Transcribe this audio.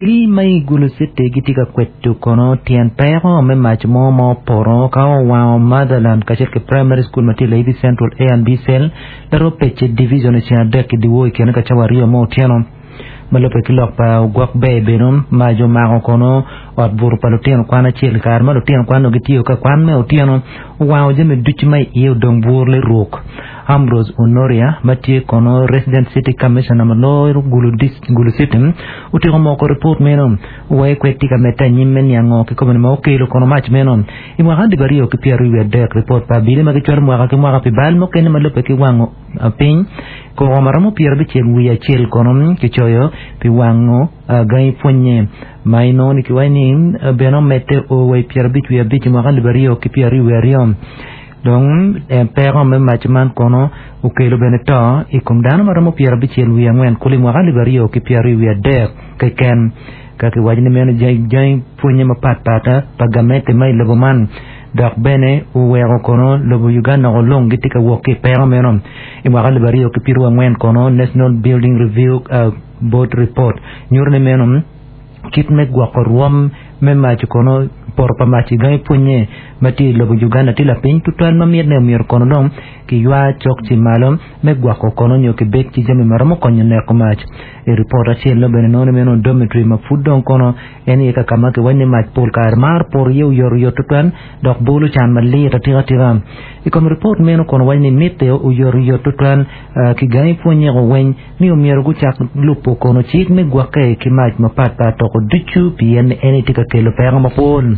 Abili ma i Gulu City gitye ka kwedo kono tyen peko me mac mo ma opoto ka owango Motherland kacel ki Primary School ma tye i Layibi Central A and B Cell Laroo Pece Division i ceng adek i dyewor i kine ka cawa aryo me otyeno. Ma lubbe ki lok pa ogwok ber beno, mac omako kono ot buto pa lutino kwan acel i kare ma lutino kwan onongo gitye ka kwan me otyeno owango jami ducu ma i iye odong bur liruk. Ambrose Onoria ma tye kono Resident City Commissioner ma loyo Gulu City otyeko moko ripot meno wai kwed tye ka medde anyim me niang ngo kikome ma okelo kono mac meno. I mwaka alip aryo ki pyeraryo wiye adek, ripot pa abili ma gicwalo mwaka ki mwaka pi bal mukene ma lubbe ki wango piny koko ma romo pyerabicel wiye acel kono kicoyo pi wango gangi pwonye ma inongo ni kiwaco ni bene omedde o wa i pyerabic wiye abic i mwaka alip aryo ki pyeraryo wiye aryo. Dong peko me mac man kono okelo bene to i kom dano ma romo pyerabicel wiye angwen kulu i mwaka alip aryo ki pyeraryo wiye adek keken. Ka kiwaco ni meno jangi pwonye mapat pat pa gamente ma i lobo man dok bene oweko kono lobo Uganda woko lung gitye ka wok ki i peko meno. I mwaka alip aryo ki pyeraryo angwen kono National Building Review Board Report nyuto ni meno Kit me gwoko rwom me mac kono poto pa mac i gangi pwonye ma tye i lobo Uganda tye lapiny tutwal ma mitne omyero kono dong kiywa cok ci malo me gwoko kono nyo kibed ki jami ma romo konyo neko mac. I ripot acel nongo bene nongo ni meno dormitory ma pud dong kono en aye kaka ma kiwaco ni mac pol kare maro poto iye oyotoyot tutwal dok bolo can malit atika tika. I kom ripot meno kono waco ni mitte oyotoyot tutwal ki gangi pwonyeko weng ni omyero gucak lubo kono cik me gwokke ki mac mapatpat toko ducu pien en aye tye ka kelo peko mapol.